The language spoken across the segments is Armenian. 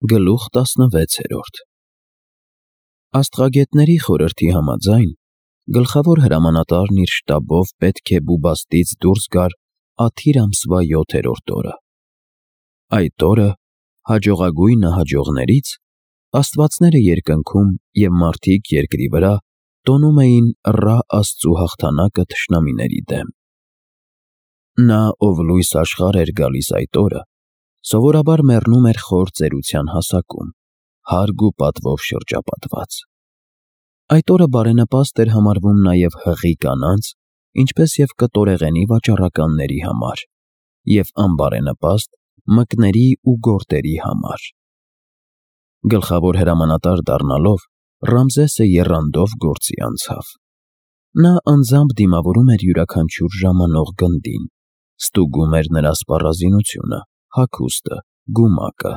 Գլուխ 16 Աստղագետների խորհրդի համաձայն, գլխավոր հրամանատարն իր շտաբով պետք է Բուբաստից դուրս գար Աթիր ամսվա 7-րդ օրը։ Այդ օրը հաջողագույնը հաջողներից աստվածները երկնքում և մարդիկ երկրի վրա տոնում էին Ռա աստծու հաղթանակը թշնամիների դեմ։ Նա, ով լույս աշխարհ էր գալիս այդ օրը, սովորաբար մեռնում էր խոր ծերության հասակում, հարգ ու պատվով շրջապատված։ Այդ օրը բարենպաստ էր համարվում նաև հղի կանանց, ինչպես և կտորեղենի վաճառականների համար, և անբարենպաստ մկների ու գորտերի համար։ Գլխավոր հրամանատար դառնալով, Ռամզեսը եռանդով գործի անցավ։ Նա անձամբ դիմավորում էր յուրաքանչյուր ժամանող գնդին, ստուգում էր նրա սպառազինությունը, հագուստը, գումակը։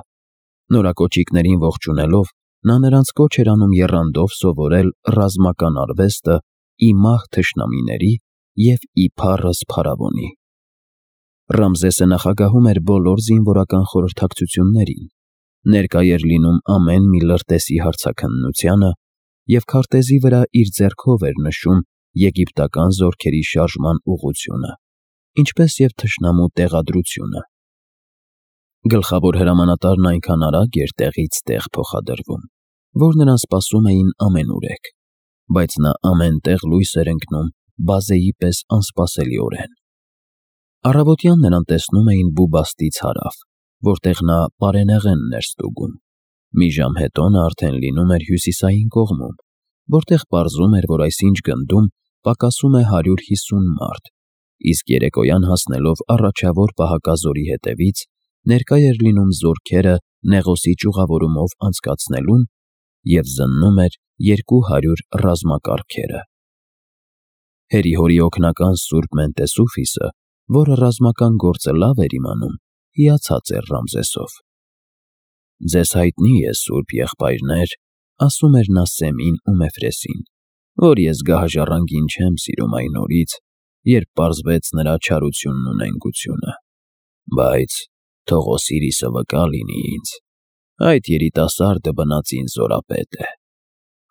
Նորակոճիկներին ողջունելով, նա նրանց կոչ էր անում եռանդով սովորել ռազմական արվեստը ի մահ թշնամիների և ի փառս փարավոնի։ Ռամզեսը նախագահում էր բոլոր զինվորական խորհրդակցություններին, ներկա էր լինում ամեն մի լրտեսի հարցաքննությանը և քարտեզի վրա իր ձեռքով էր նշում եգիպտական զորքերի շարժման ուղղությունը, ինչպես և թշնամու տեղադրությունը։ Գլխավոր հրամանատարն այնքան արագ էր տեղից տեղ փոխադրվում, որ նրան սպասում էին ամենուրեք, բայց նա ամեն տեղ լույս էր ընկնում բազեի պես անսպասելիորեն։ Առավոտյան նրան տեսնում էին Բուբաստից հարավ, որտեղ նա պարենեղենն էր ստուգում։ Մի ժամ հետո նա արդեն լինում էր հյուսիսային կողմում, որտեղ պարզում էր, որ այսինչ գնդում պակասում է 150 մարդ, իսկ երեկոյան հասնելով առաջավոր պահակազորի հետևից, ներկա էր լինում զորքերը Նեղոսի ճյուղավորումով անցկացնելուն և զննում էր 200 ռազմակառքերը։ Հերի-հորի օգնական սուրբ Մենտեսուֆիսը, որը ռազմական գործը լավ էր իմանում, հիացած էր Ռամզեսով։ «Ձեզ հայտնի է, սուրբ եղբայրներ», ասում էր նա Սեմին ու Մեֆրեսին, «որ ես գահաժառանգին չեմ սիրում այն օրից, երբ պարզվեց նրա չարությունն ու նենգությունը։ Բայց թող Օսիրիսը վկա լինի ինձ. այդ երիտասարդը բնածին զորապետ է։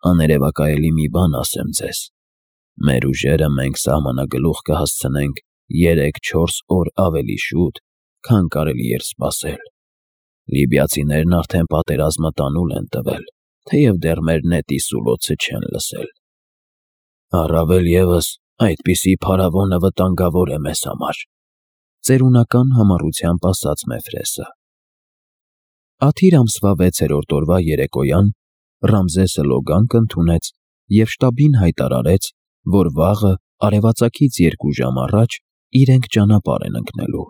Աներևակայելի մի բան ասեմ ձեզ. մեր ուժերը մենք սահմանագլուխ կհասցնենք 3-4 օր ավելի շուտ, քան կարելի էր սպասել։ Լիբիացիներն արդեն պատերազմը տանուլ են տվել, թեև դեռ մեր նետի սուլոցը չեն լսել։ Առավել ևս այդպիսի փարավոնը վտանգավոր է մեզ համար», ծերունական համառությամբ ասաց Մեֆրեսը։ Աթիր ամսվա 6-րդ օրվա երեկոյան Ռամզեսը լոգանք ընդունեց և շտաբին հայտարարեց, որ վաղը արևածագից 2 ժամ առաջ իրենք ճանապարհ են ընկնելու։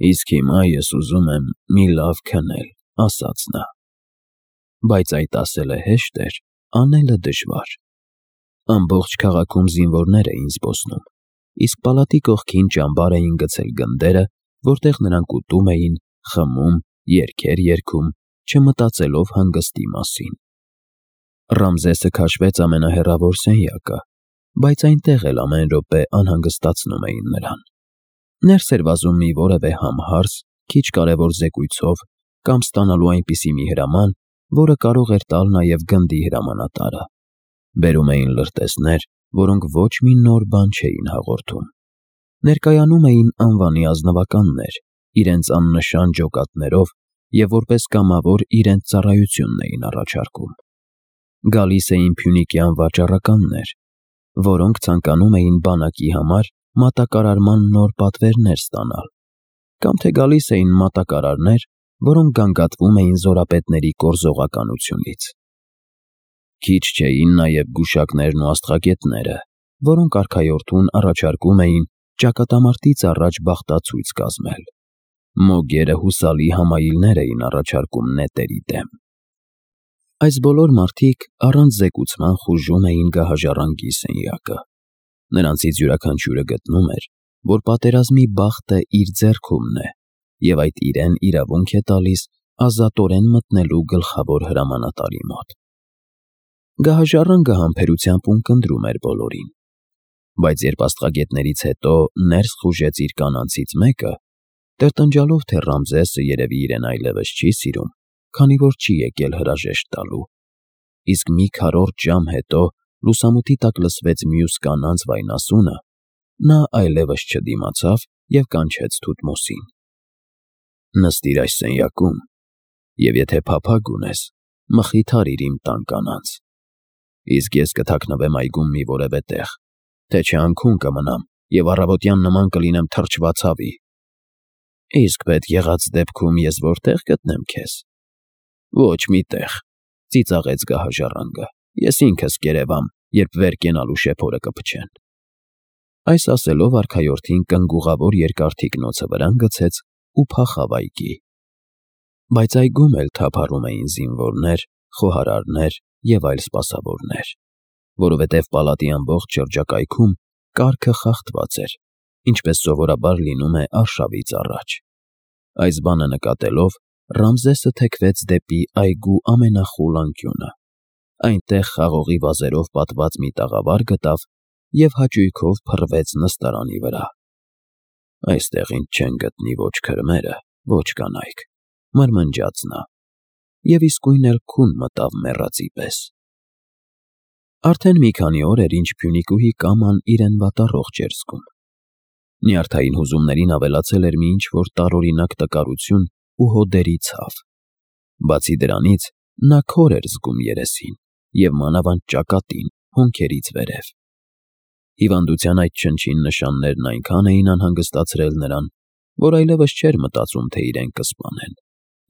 «Իսկ հիմա ես ուզում եմ մի լավ քնել», ասաց նա։ Բայց այդ ասելը հեշտ էր, անելը դժվար։ Ամբողջ քաղաքում զինվորներ էին զբոսնում, իսկ պալատի կողքին ճամբար էին գցել գնդերը, որտեղ նրանք ուտում էին, խմում, երգեր երգում, չմտածելով հանգստի մասին։ Ռամզեսը քաշվեց ամենահեռավոր սենյակը, բայց այնտեղ էլ ամեն րոպե անհանգստացնում էին նրան։ Ներս էր վազում մի որևէ համհարց, քիչ կարևոր զեկույցով կամ ստանալու այնպիսի մի հրաման, որը կարող էր տալ նաև գնդի հրամանատարը։ Բերում էին լրտեսներ, որոնք ոչ մի նոր բան չէին հաղորդում։ Ներկայանում էին անվանի ազնվականներ, իրենց աննշան ջոկատներով և որպես կամավոր իրենց ծառայությունն էին առաջարկում։ Գալիս էին փյունիկյան վաճառականներ, որոնք ցանկանում էին բանակի համար մատակարարման նոր պատվերներ ստանալ, կամ թե գալիս էին մատակարարներ, որոնք գանգատվում էին զորապետների կորզողականությունից։ Քիչ չէին նաև գուշակներն ու աստղագետները, որոնք արքայորդուն առաջարկում էին ճակատամարտից առաջ բախտացույց կազմել։ Մոգերը հուսալի համայիլներ էին առաջարկում նետերի դեմ։ Այս բոլոր մարդիկ առանց զեկուցման խուժում էին գահաժառանգի սենյակը։ Նրանցից յուրաքանչյուրը գտնում էր, որ պատերազմի բախտը իր ձեռքումն է, և այդ իրեն իրավունք է տալիս ազատորեն մտնելու գլխավոր հրամանատարի մոտ։ Գահաժառանգը համբերությամբ ունկնդրում էր բոլորին, բայց երբ աստղագետներից հետո ներս խուժեց իր կանանցից մեկը, տրտնջալով, թե Ռամզեսը երևի իրեն այլևս չի սիրում, քանի որ չի եկել հրաժեշտ տալու, իսկ մի քառորդ ժամ հետո լուսամուտի տակ լսվեց մյուս կանանց վայնասունը, նա այլևս չդիմացավ և կանչեց Թութմոսին. «Նստիր այս սենյակում, և եթե փափագ ունես, մխիթարիր իմ տան կանանց, իսկ ես կթաքնվեմ այգում մի որևէ տեղ, թե չէ անքուն կմնամ և առավոտյան նման կլինեմ թրջված հավի»։ «Իսկ պետք եղած դեպքում ես որտե՞ղ գտնեմ քեզ»։ «Ոչ մի տեղ», ծիծաղեց գահաժառանգը, «ես ինքս կերևամ, երբ վեր կենալու շեփորը կփչեն»։ Այս ասելով արքայորդին կնգուղավոր երկար թիկնոցը վրան գցեց ու փախավ այգի։ Բայց այգում էլ թափառում էին զինվորներ, խոհարարներ և այլ սպասավորներ, որովհետև պալատի ամբողջ շրջակայքում կարգը խախտված էր, ինչպես սովորաբար լինում է արշավից առաջ։ Այս բանը նկատելով, Ռամզեսը թեքվեց դեպի այգու ամենախուլ անկյունը, այնտեղ խաղողի վազերով պատված մի տաղավար գտավ և հաճույքով փռվեց նստարանի վրա։ «Այստեղ ինձ չեն գտնի ոչ քրմերը, ոչ կանայք», մրմնջաց նա, և իսկույն էլ քուն մտավ մեռածի պես։ Արդեն մի քանի օր էր, ինչ Փյունիկուհի Կաման իրեն վատառողջ էր զգում։ Նյարդային հուզումներին ավելացել էր մի ինչ-որ տարօրինակ տկարություն ու հոդերի ցավ։ Բացի դրանից, նա քոր էր զգում երեսին և մանավանդ ճակատին, հոնքերից վերև։ Հիվանդության այդ չնչին նշաններն այնքան էին անհանգստացրել նրան, որ այլևս չէր մտածում, թե իրեն կսպանեն,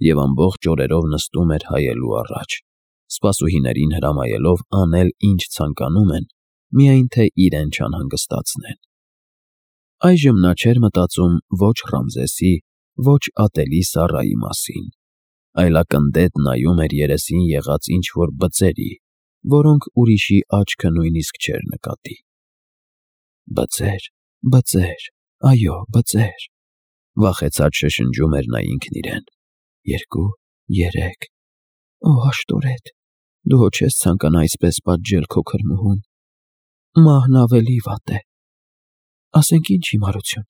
և ամբողջ օրերով նստում էր հայելու առաջ, սպասուհիներին հրամայելով անել, ինչ ցանկանում են, միայն թե իրեն չանհանգստացնեն։ Այժմ նա չէր մտածում ոչ Ռամզեսի, ոչ ատելի Սառայի մասին, այլ ակնթեթ նայում էր երեսին եղած ինչ-որ բծերի, որոնք ուրիշի աչքը նույնիսկ չէր նկատի։ «Բծեր, բծեր, այո, բծեր», վախեցած շշնջում էր նա ինքն իրեն։ «2, 3… Օ, աշտորետ, դու հո չես ցանկանա այսպես պատժել քո քրմուհուն։ Մահն ավելի վատ է։ Ասենք ինչ հիմարություն։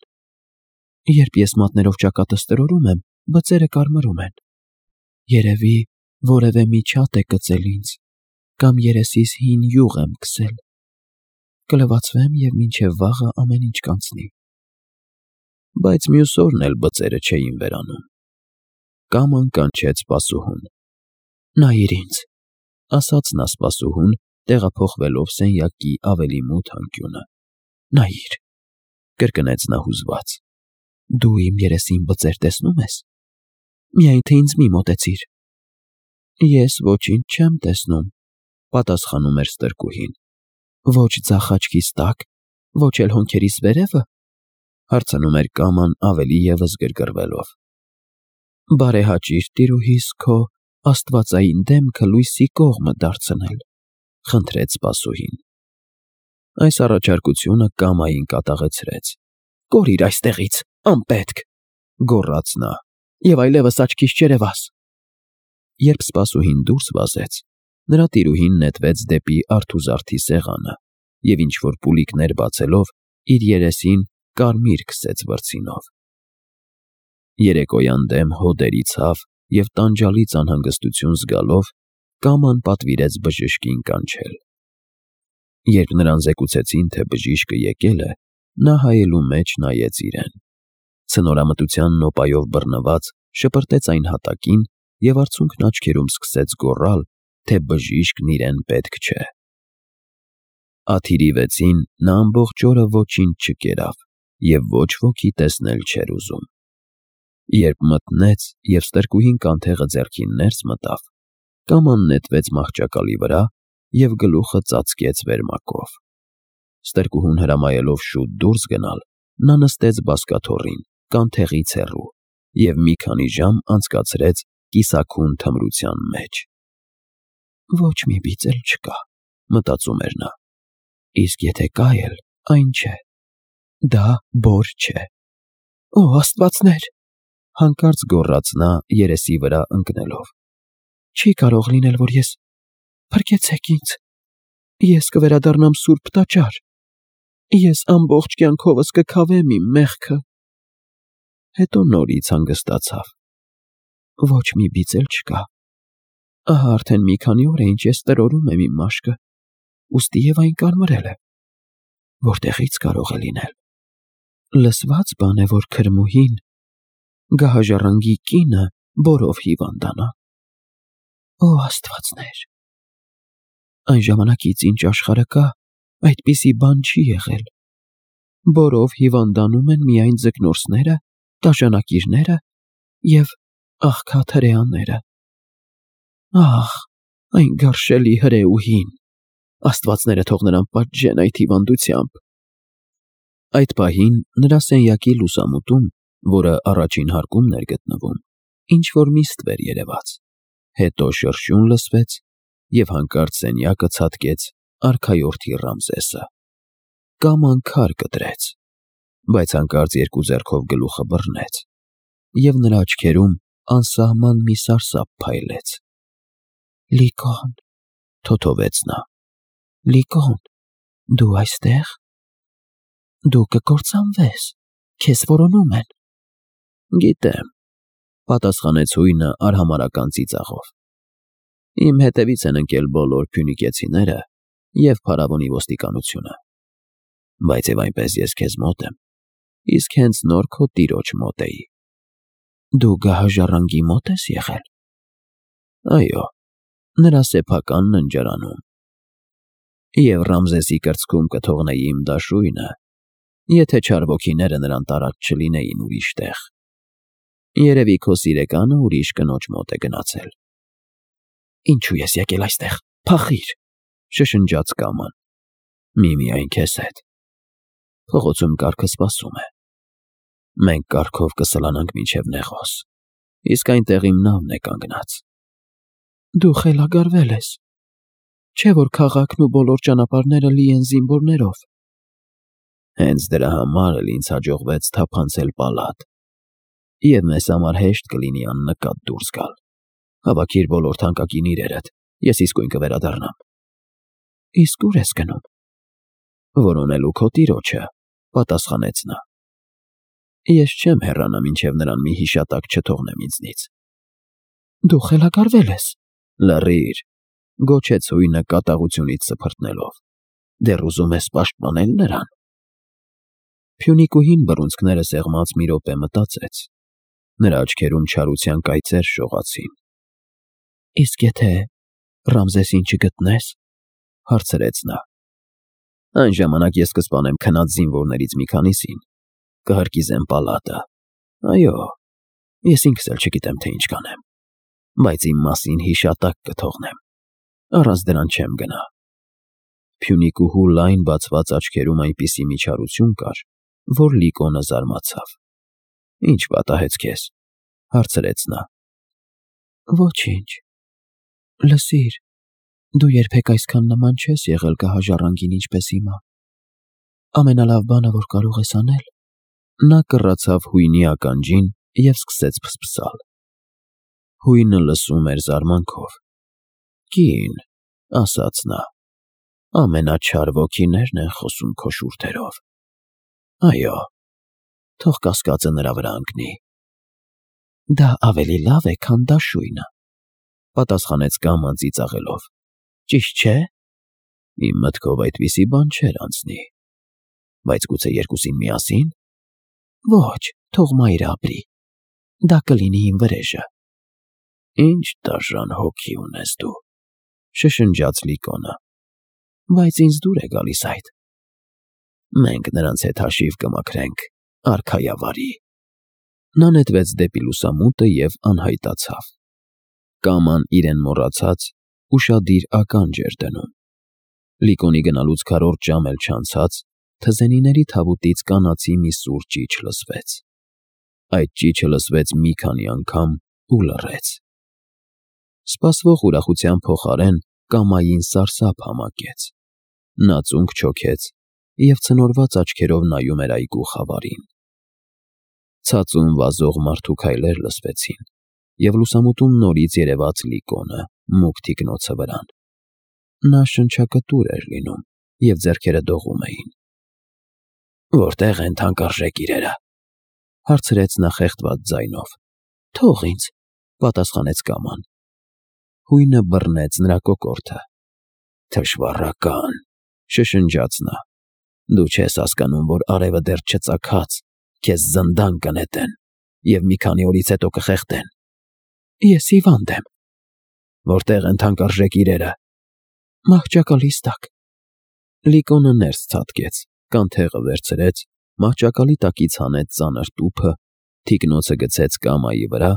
Երբ ես մատներով ճակատս տրորում եմ, բծերը կարմրում են։ Երևի որևէ միջատ է կծել ինձ, կամ երեսիս հին յուղ եմ քսել։ Կլվացվեմ և մինչև վաղը ամեն ինչ կանցնի»։ Բայց մյուս օրն էլ բծերը չէին վերանում։ Կաման կանչեց սպասուհուն։ «Նայիր ինձ», ասաց նա սպասուհուն, տեղափոխվելով սենյակի ավելի մութ անկյունը։ «Նայիր», կրկնեց նա հուզված։ «Դու իմ երեսին բծեր տեսնո՞ւմ ես։ Միայն թե ինձ մի մոտեցիր»։ «Ես ոչինչ չեմ տեսնում», պատասխանում էր ստրկուհին։ «Ոչ ձախ աչքիս տակ, ոչ էլ հոնքերիս վերևը», հարցնում էր Կաման ավելի ևս գրգռվելով։ «Բարեհաճիր, տիրուհիս, քո աստվածային դեմքը լույսի կողմը դարձնել», խնդրեց սպասուհին։ Այս առաջարկությունը Կամային կատաղեցրեց։ «Կորիր այստեղից, անպետք», գոռաց նա, «և այլևս աչքիս չերևաս»։ Երբ սպասուհին դուրս վազեց, նրա տիրուհին նետվեց դեպի արթուզարդի սեղանը և ինչ-որ պուլիկներ բացելով, իր երեսին կարմիր քսեց վրձինով։ Երեկոյան դեմ հոդերի ցավ և տանջալից անհանգստություն զգալով, Կաման պատվիրեց բժշկին կանչել։ Երբ նրան զեկուցեցին, թե բժիշկը եկել է, նա հայելու մեջ նայեց իրեն։ Ցնորամտության նոպայով բռնված շպրտեց այն հատակին և արցունքն աչքերում սկսեց գոռալ, թե բժիշկն իրեն պետք չէ։ Ադիրի 6-ին նա ամբողջ օրը ոչինչ չկերավ և ոչ ոքի տեսնել չէր ուզում։ Երբ մթնեց և ստրկուհին կանթեղը ձեռքին ներս մտավ, Կաման նետվեց մահճակալի վրա և գլուխը ծածկեց վերմակով։ Ստրկուհուն հրամայելով շուտ դուրս գնալ, նա նստեց բազկաթոռին, կանթեղից հեռու, և մի քանի ժամ անցկացրեց կիսաքուն թմրության մեջ։ «Ոչ մի բիծ էլ չկա», մտածում էր նա, «իսկ եթե կա էլ, այն չէ։ Դա բոր չէ»։ «Օ, աստվածներ», հանկարծ գոռաց նա երեսի վրա ընկնելով։ «Չի կարող լինել, որ ես… Փրկեցեք ինձ… Ես կվերադառնամ սուրբ տաճար… Ես ամբողջ կյանքովս կքավեմ իմ մեղքը»։ Հետո նորից հանգստացավ։ «Ոչ մի բիծ էլ չկա», Ահա արդեն մի քանի օր է, ինչ ես տրորում եմ իմ մաշկը, ուստի և այն կարմրել է։ Որտեղից կարող է լինել։ Լսված բան է, որ քրմուհին, գահաժառանգի կինը, բորով հիվանդանա։ Օ աստվածներ։ Այն ժամանակից, ինչ աշխարհը կա, այդպիսի բան չի եղել։ Բորով հիվանդանում են միայն ձկնորսները, դաշանակիրները և աղքատ հրեաները։ Ահ, այն գարշելի հրեուհին, աստվածները թող նրան պատժեն այդ հիվանդությամբ։ Այդ պահին նրա սենյակի լուսամուտում, որը առաջին հարկումն էր գտնվում, ինչ-որ մի ստվեր երևաց, հետո շրշյուն լսվեց, և հանկարծ սենյակը ցատկեց արքայորդի Ռամզեսը։ Կաման քար կտրեց, բայց հանկարծ երկու ձեռքով գլուխը բռնեց, և նրա աչքերում անսահման մի սարսափ փայլեց։ Լիկոն, թոթովեց նա, Լիկոն, դու այստեղ։ Դու կկործանվես, քեզ որոնում են։ Գիտեմ, պատասխանեց հույնը արհամարհական ծիծաղով։ Իմ հետևից են ընկել բոլոր փյունիկեցիները և փարավոնի ոստիկանությունը, բայց և այնպես ես քեզ մոտ եմ, իսկ հենց նոր քո տիրոջ մոտ էի։ Դու գահաժառանգի մոտ ես եղել։ Այո, նրա սեփական ննջարանում։ Եվ Ռամզեսի կրծքում կթողնեի իմ դաշույնը, եթե չար ոգիները նրան տարած չլինեին ուրիշ տեղ։ Երևի քո սիրեկանը ուրիշ կնոջ մոտ է գնացել։ Ինչու ես եկել այստեղ, փախիր, շշնջաց Կաման։ Միմիայն քեզ հետ։ Փողոցում կառքը սպասում է։ Մենք կառքով կսլանանք մինչև Նեղոս, իսկ այնտեղ իմ նավն է կանգնած։ Դու խելագարվել ես։ Չէ՞ որ քաղաքն ու բոլոր ճանապարհները լի են զինվորներով։ Հենց դրա համար էլ ինձ հաջողվեց թափանցել պալատ, և մեզ համար հեշտ կլինի աննկատ դուրս գալ։ Հավաքիր բոլոր թանկագին իրերդ, ես իսկույն կվերադառնամ։ Իսկ ուր ես գնում։ Որոնելու քո տիրոջը, պատասխանեց նա։ Ես չեմ հեռանա, մինչև նրան մի հիշատակ չթողնեմ ինձնից։ Դու խելագարվել ես։ Լռիր, գոչեց հույնը կատաղությունից սփռտնելով։ Դեռ ուզում ես պաշտպանել նրան։ Փյունիկուհին բռունցքները սեղմած մի րոպե մտածեց։ Նրա աչքերում չարության կայծեր շողացին։ Իսկ եթե Ռամզեսին չգտնես, հարցրեց նա։ Այն ժամանակ ես կսպանեմ քնած զինվորներից մի քանիսին, կհրկիզեմ պալատը։ Այո, ես ինքս էլ չգիտեմ, թե ինչ կանեմ, բայց իմ մասին հիշատակ կթողնեմ, առանց դրան չեմ գնա։ Փյունիկուհու լայն բացված աչքերում այնպիսի միջարություն կար, որ Լիկոնը զարմացավ։ Ինչ պատահեց քեզ, հարցրեց նա։ Ոչինչ։ Լսիր, դու երբեք այսքան նման չես եղել գահաժառանգին, ինչպես հիմա։ Ամենալավ բանը, որ կարող ես անել, նա կռացավ հույնի ականջին և սկսեց փսփսալ։ Հույնը լսում էր զարմանքով։ Կին, ասաց նա, ամենաչար ոգիներն են խոսում քո շուրթերով։ Այո, թող կասկածը նրա վրա ընկնի։ Դա ավելի լավ է, քան դաշույնը, պատասխանեց Կաման ծիծաղելով։ Ճիշտ չէ։ Իմ մտքով այդպիսի բան չէր անցնի։ Բայց գուցե երկուսին միասին։ Ոչ, թող մայրը ապրի։ Դա կլինի իմ վրեժը։ Ինչ դաժան հոգի ունես դու, շշնջաց Լիկոնը։ Բայց ինձ դուր է գալիս այդ։ Մենք նրանց հետ հաշիվ կմաքրենք, արքայավարի։ Նա նետվեց դեպի լուսամուտը և անհայտացավ։ Կաման իրեն մոռացած ուշադիր ականջ էր դնում։ Լիկոնի գնալուց քառորդ ժամ էլ չանցած, թզենիների թավուտից կանացի մի սուր ճիչ լսվեց։ Այդ ճիչը լսվեց մի քանի անգամ ու լռեց։ Սպասվող ուրախության փոխարեն Կամային սարսափ համակեց։ Նա ծունկ չոքեց և ցնորված աչքերով նայում էր այգու խավարին։ Ցածուն վազող մարդու քայլեր լսվեցին, և լուսամուտում նորից երևաց Լիկոնը մուգ թիկնոցը վրան։ Նա շնչակտուր էր լինում, և ձեռքերը դողում էին։ Որտե՞ղ են թանկարժեք իրերը, հարցրեց նա խեղդված ձայնով։ Թող ինձ, պատասխանեց Կաման։ Հույնը բռնեց նրա կոկորդը։ «Թշվառական», շշնջաց նա։ «Դու չես հասկանում, որ արևը դեռ չծագած, քեզ զնդան կնետեն և մի քանի օրից հետո կխեղդեն»։ «Ես հիվանդ եմ»։ «Որտե՞ղ են թանկարժեք իրերը»։ «Մահճակալիս տակ»։ Լիկոնը ներս ցատկեց, կանթեղը վերցրեց, մահճակալի տակից հանեց ծանր տուփը, թիկնոցը գցեց կամայի վրա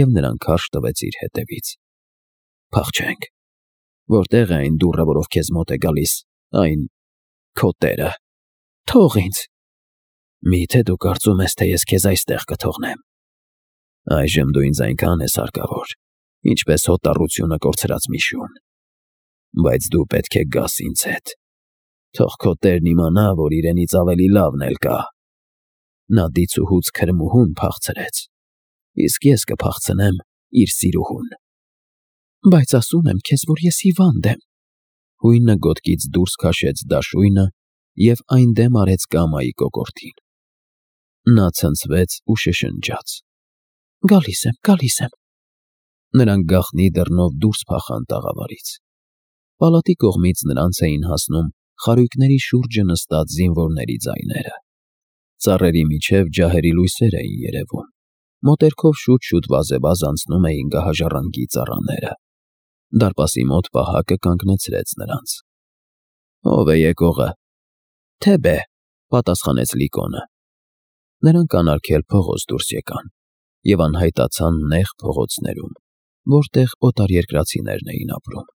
և նրան քարշ տվեց իր հետևից։ «Փախչենք։ Որտե՞ղ է այն դուռը, որով քեզ մոտ է գալիս, այն քո տերը»։ «Թող ինձ»։ «Մի՞թե դու կարծում ես, թե ես քեզ այստեղ կթողնեմ։ Այժմ դու ինձ այնքան ես հարկավոր, ինչպես հոտառությունը կորցրած մի շուն։ Բայց դու պետք է գաս ինձ հետ։ Թող քո տերն իմանա, որ իրենից ավելի լավն էլ կա։ Նա դիցուհուց քրմուհուն փախցրեց, իսկ ես կփախցնեմ իր սիրուհուն»։ «Բայց ասում եմ քեզ, որ ես հիվանդ եմ»։ Հույնը գոտկից դուրս քաշեց դաշույնը և այն դեմ արեց կամայի կոկորդին։ Նա ցնցվեց ու շշնջաց. «Գալիս եմ»։ Նրանք գաղտնի դռնով դուրս փախան տաղավարից։ Պալատի կողմից նրանց էին հասնում խարույկների շուրջը նստած զինվորների ձայները։ Ծառերի միջև ջահերի լույսեր էին երևում։ Մոտերքով շուտ-շուտ վազեվազ անցնում էին գահաժառանգի ծառաները։ Դարպասի մոտ պահակը կանգնեցրեց նրանց։ «Ո՞վ է եկողը»։ «Թեբե», պատասխանեց Լիկոնը։ Նրանք անարգել փողոց դուրս եկան և անհայտացան նեղ փողոցներում, որտեղ օտարերկրացիներն էին ապրում։